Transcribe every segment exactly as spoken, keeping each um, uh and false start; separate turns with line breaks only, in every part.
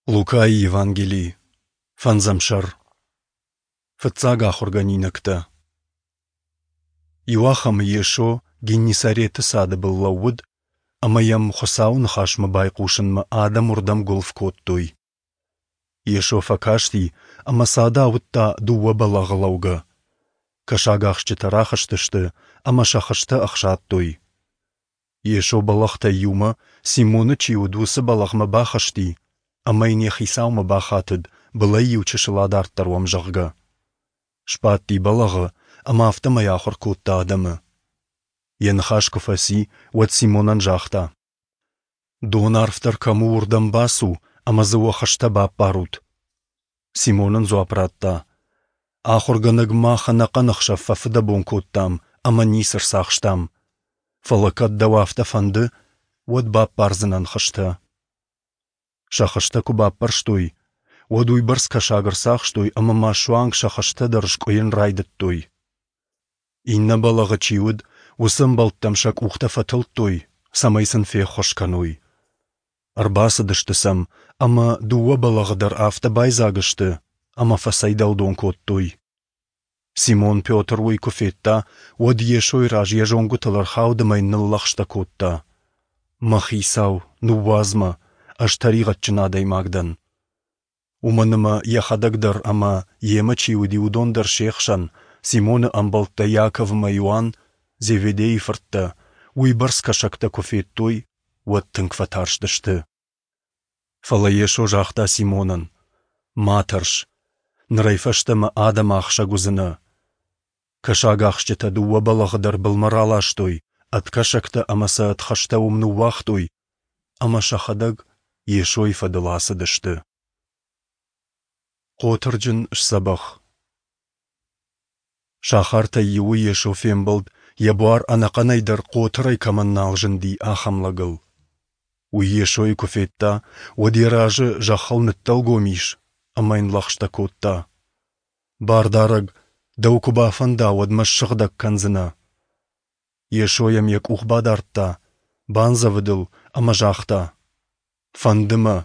Лукайы Евангели, фӕндзӕм сӕр. Фыццаг ахуыргӕнинӕгтӕ. Иуахӕмы Йесо Геннисареты цады был лӕууыд, ӕмӕ йӕм Хуыцауы ныхасмӕ байхъусынмӕ адӕм уырдӕм гуылф кодтой. Йесо фӕкасти ӕмӕ цады ауыдта дыууӕ бӕлӕгъы лӕугӕ. Кӕсагахсджытӕ рахызтысты ӕмӕ сӕ хызтӕ ӕхсадтой. Йесо бӕлӕгътӕй иумӕ, Симоны чи уыд, уыцы бӕлӕгъмӕ бахызти ӕмӕ йын йӕ хицаумӕ бахатыд, былӕй иу чысыл адарддӕр уӕм, зӕгъгӕ. Сбадти бӕлӕгъы ӕмӕ афтӕмӕй ахуыр кодта адӕмы. Йӕ ныхас куы фӕци, уӕд Симонӕн загъта: Дон арфдӕр кӕм у, уырдӕм бацу ӕмӕ дзы уӕ хызтӕ баппарут. Симон ын дзуапп радта: Ахуыргӕнӕг, мах ӕнӕхъӕн ӕхсӕв фӕфыдӕбон кодтам ӕмӕ ницы рцахстам. Фӕлӕ кӕд дӕу афтӕ фӕнды, уӕд баппардзынӕн хызтӕ. Сӕ хызтӕ куы баппӕрстой, уӕд уыйбӕрц кӕсаг ӕрцахстой ӕмӕ ма суанг сӕ хызтӕ дӕр скъуыйын райдыдтой. Иннӕ бӕлӕгъы чи уыд, уыцы ӕмбӕлттӕм сӕ къухтӕ фӕтылдтой, цӕмӕй сын феххуыс кӕной. Ӕрбацыдысты сӕм, ӕмӕ дыууӕ бӕлӕгъы дӕр афтӕ байдзаг сты, ӕмӕ фӕцӕйдӕлдон кодтой. Симон Петр уый куы федта, уӕд Йесойы раз йӕ зонгуытыл ӕрхауд ӕмӕ йын ныллӕгъстӕ кодта: Мӕ Хицау, ныууадз мӕ, ӕз тӕригъӕдджын адӕймаг дӕн. Уымӕн ӕмӕ йӕхӕдӕг дӕр ӕмӕ, йемӕ чи уыди, уыдон дӕр се хсӕн, Симоны ӕмбӕлттӕ Иаков ӕмӕ Иоанн, Зеведейы фырттӕ, уыйбӕрц кӕсӕгтӕ куы федтой, уӕд тынг фӕтарстысты. Фӕлӕ Йесо загъта Симонӕн: Ма тӕрс, нырӕй фӕстӕмӕ адӕмы ахсӕг уыдзынӕ. Кӕсагахсджытӕ дыууӕ бӕлӕгъы дӕр былмӕ раластой, ӕд кӕсӕгтӕ ӕмӕ сӕ ӕд хызтӕ уым ныууагътой, ӕмӕ сӕхӕдӕг Йесойы фӕдыл ацыдысты. Хъотырджын сдзӕбӕх. Сахартӕй иуы Йесо фембӕлд, йӕ буар ӕнӕхъӕнӕй дӕр хъотырӕй кӕмӕн нал зынди, ахӕм лӕгыл. Уый Йесойы куы федта, уӕд йӕ разы зӕххыл ныддӕлгом ис ӕмӕ йын лӕгъстӕ кодта: Бардарӕг, дӕу куы бафӕнда, уӕд мӕ ссыгъдӕг кӕндзынӕ. Йесо йӕм йӕ къух бадардта, бандзӕвыд ыл ӕмӕ загъта: Фӕнды мӕ,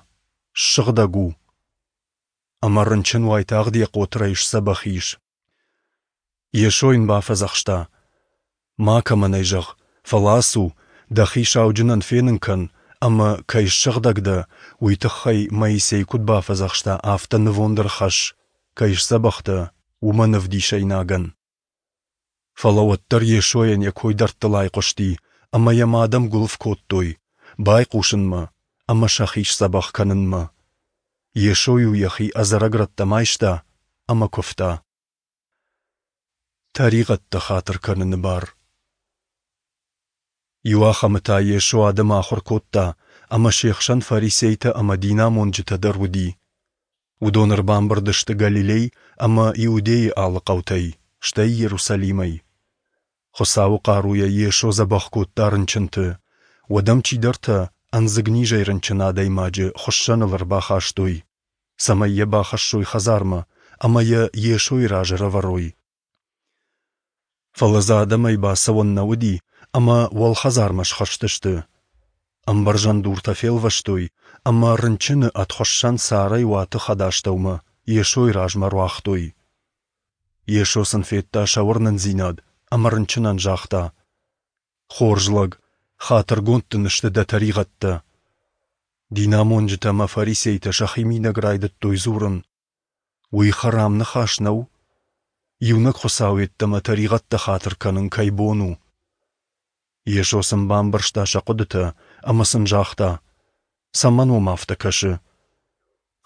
ссыгъдӕг у. Ӕмӕ рынчын уайтагъд йӕ хъотырӕй сдзӕбӕх ис. Йесо йын бафӕдзӕхста: Макӕмӕн ӕй зӕгъ, фӕлӕ ацу, дӕхи сауджынӕн фенын кӕн, ӕмӕ, кӕй ссыгъдӕг дӕ, уый тыххӕй Моисей куыд бафӕдзӕхста, афтӕ нывонд ӕрхӕсс, кӕй сдзӕбӕх дӕ, уымӕн ӕвдисӕйнагӕн. Фӕлӕ уӕддӕр Йесойӕн йӕ кой дӕрдтыл айхъуысти, ӕмӕ йӕм адӕм гуылф кодтой, байхъусынмӕ ӕмӕ сӕхи сдзӕбӕх кӕнынмӕ. Йесо-иу йӕхи ӕдзӕрӕг рӕттӕм айста ӕмӕ куывта. Тӕригъӕдтӕ хатыр кӕныны бар. Иуахӕмы та Йесо адӕмы ахуыр кодта, ӕмӕ се хсӕн фарисейтӕ ӕмӕ динамонджытӕ дӕр уыди. Уыдон ӕрбамбырд сты Галилей ӕмӕ Иудейы алы хъӕутӕй, стӕй Иерусалимӕй. Хуыцауы хъаруйӕ Йесо дзӕбӕх кодта рынчынты. Уӕд ӕм чидӕртӕ ӕндзыгнизӕй рынчын адӕймаджы хуыссӕныл ӕрбахастой, цӕмӕй йӕ бахӕссой хӕдзармӕ ӕмӕ йӕ Йесойы раз ӕрӕвӕрой. Фӕлӕ дзы адӕмӕй бацӕуӕн нӕ уыди, ӕмӕ уӕлхӕдзармӕ схызтысты. Ӕмбӕрзӕн дуртӕ фелвӕстой ӕмӕ рынчыны ӕд хуыссӕн царӕй уаты хӕдастӕумӕ Йесойы размӕ руагътой. Йесо сын федта сӕ уырнындзинад ӕмӕ рынчынӕн загъта: Хорз лӕг, хатыргонд дын сты дӕ тӕригъӕдтӕ. Динамонджытӕ ӕмӕ фарисейтӕ сӕхимидӕг райдыдтой дзурын: Уый хӕрам ныхас нӕу? Иунӕг Хуыцау йеддӕмӕ тӕригъӕдтӕ хатыр кӕнын кӕй бон у? Йесо сын бамбӕрста сӕ хъуыдытӕ ӕмӕ сын загъта: Цӕмӕн уӕм афтӕ кӕсы?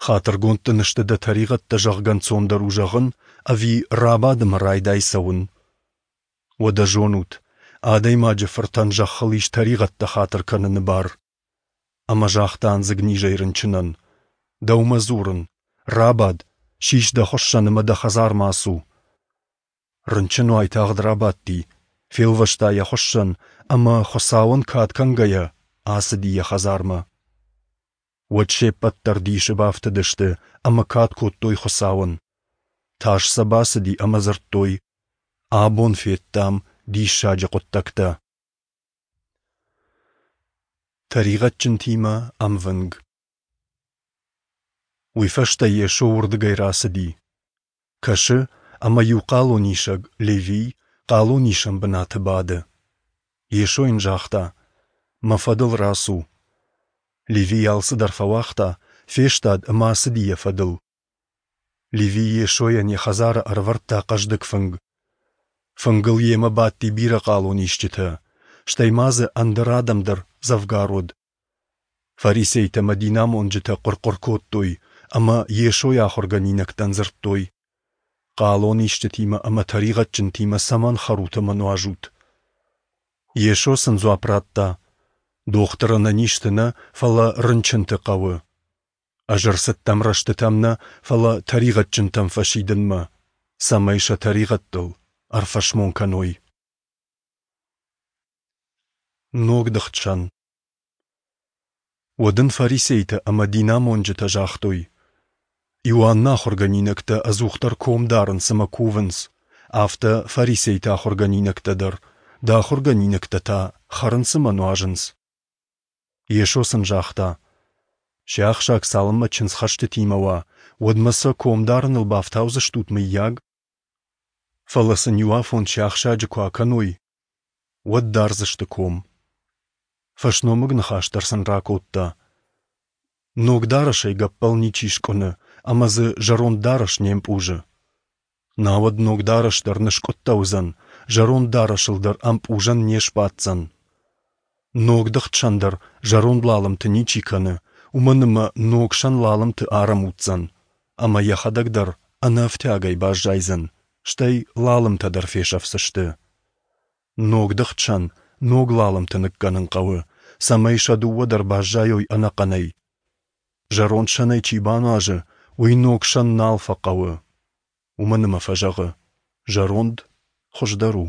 Хатыргонд дын сты дӕ тӕригъӕдтӕ, зӕгъгӕ, ӕнцондӕр у зӕгъын, ӕви рабад ӕмӕ райдай цӕуын? Уӕдӕ зонут, Адӕймаджы Фыртӕн зӕххыл ис тӕригъӕдтӕ хатыр кӕныны бар. Ӕмӕ загъта ӕндзыгнизӕй рынчынӕн: Дӕумӕ дзурын, рабад, сис дӕ хуыссӕн ӕмӕ дӕ хӕдзармӕ ацу. Рынчын уайтагъд рабадти, фелвӕста йӕ хуыссӕн ӕмӕ, Хуыцауӕн кад кӕнгӕйӕ, ацыди йӕ хӕдзармӕ. Уӕд се ппӕт дӕр дисы бафтыдысты ӕмӕ кад кодтой Хуыцауӕн. Тас сӕ бацыди ӕмӕ дзырдтой: Абон федтам диссаджы хъуыддӕгтӕ. Тӕригъӕдджынтимӕ ӕмвынг. Уый фӕстӕ Йесо уырдыгӕй рацыди. Кӕсы, ӕмӕ иу хъалонисӕг, Левий, хъалонисӕн бынаты бады. Йесо йын загъта: Мӕ фӕдыл рацу. Левий алцыдӕр фӕуагъта, фестад ӕмӕ ацыди йӕ фӕдыл. Левий Йесойӕн йӕ хӕдзары ӕрӕвӕрдта хъӕздыг фынг. Фынгыл йемӕ бадти бирӕ хъалонисджытӕ, стӕй ма дзы ӕндӕр адӕм дӕр дзӕвгар уыд. Фарисейтӕ ӕмӕ динамонджытӕ хъуыр-хъуыр кодтой ӕмӕ Йесойы ахуыргӕнинӕгтӕн дзырдтой: Хъалонисджытимӕ ӕмӕ тӕригъӕдджынтимӕ цӕмӕн хӕрут ӕмӕ нуазут? Йесо сын дзуапп радта: Дохтыр ӕнӕнизты нӕ, фӕлӕ рынчынты хъӕуы. Ӕз ӕрцыдтӕн рӕстытӕм нӕ, фӕлӕ тӕригъӕдджынтӕм фӕсидынмӕ, цӕмӕй сӕ тӕригъӕдтыл ӕрфӕсмон кӕной. Ногдыгъд сӕн. Уӕд ын фарисейтӕ ӕмӕ динамонджытӕ загътой: Иоанны ахуыргӕнинӕгтӕ ӕдзухдӕр ком дарынц ӕмӕ кувынц, афтӕ фарисейты ахуыргӕнинӕгтӕ дӕр, дӕ ахуыргӕнинӕгтӕ та хӕрынц ӕмӕ нуазынц. Йесо сын загъта: Сиахсаг цалынмӕ чындзхӕстытимӕ уа, уӕдмӕ сӕ ком дарыныл бафтаудзыстут, мыййаг? Фӕлӕ сын иуафон сиахсаджы куы акӕной, уӕд дардзысты ком. Фӕсномыг ныхас дӕр сын ракодта: Ног дарӕсӕй гӕппӕл ничи скъуыны ӕмӕ дзы зӕронд дарӕс не мпъузы. Науӕд ног дарӕс дӕр ныскъуыдтӕ уыдзӕн, зӕронд дарӕсыл дӕр ӕмпъузӕн не сбаддзӕн. Ногдыгъд сӕн дӕр зӕронд лалымты ничи кӕны, уымӕн ӕмӕ ног сӕн лалымты ӕрӕмудздзӕн, ӕмӕ йӕхӕдӕг дӕр ӕнӕ ӕфтиагӕй баззайдзӕн, стӕй лалымтӕ дӕр фесӕфдзысты. Ногдыгъд сӕн ног лалымты ныккӕнын хъӕуы, цӕмӕй сӕ дыууӕ дӕр баззайой ӕнӕхъӕнӕй. Зӕронд сӕнӕй чи бануазы, уый ног сӕн нал фӕхъӕуы, уымӕн ӕмӕ фӕзӕгъы: зӕронд хуыздӕр у.